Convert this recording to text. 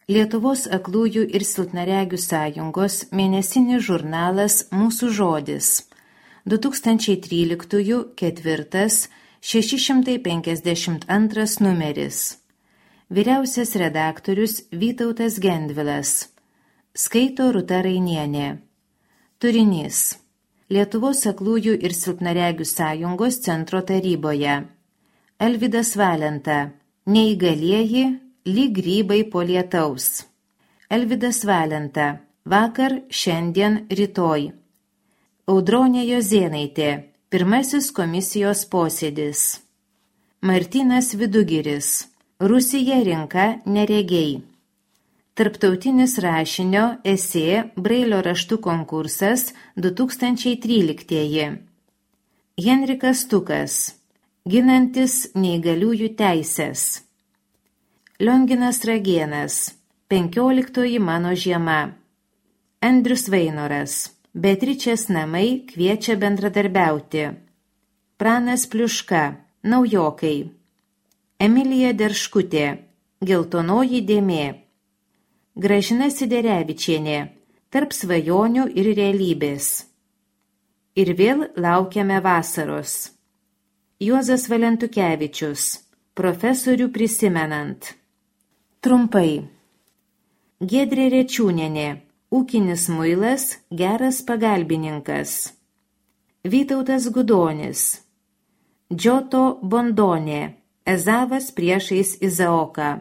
Lietuvos aklųjų ir silpnaregių sąjungos mėnesinis žurnalas Mūsų žodis 2013 4 652 numeris. Vyriausias redaktorius Vytautas Gendvilas. Skaito Rūta Rainienė. Turinys. Lietuvos aklųjų ir silpnaregių sąjungos centro taryboje. Alvydas Valenta. Neįgalieji lyg grybai po lietaus. Alvydas Valenta. Vakar, šiandien, rytoj. Audronė Jozėnaitė. Pirmasis komisijos posėdis. Martynas Vidugiris. Rusija rinka neregiai. Tarptautinis rašinio esė Brailio raštų konkursas 2013. Henrikas Tukas. Ginantis neįgaliųjų teises. Lionginas Ragėnas. 15 mano žiema. Andrius Vainoras. Beatričės namai kviečia bendradarbiauti. Pranas Pliuška. Naujokai. Emilija Derškutė. Geltonoji dėmė. Gražina Siderevičienė. Tarp svajonių ir realybės. Ir vėl laukiame vasaros. Juozas Valentukevičius. Profesorių prisimenant. Trumpai. Giedrė Rečiūnienė. Ūkinis muilas, geras pagalbininkas. Vytautas Gudonis. Džoto Bondonė. Ezavas priešais Izaoką.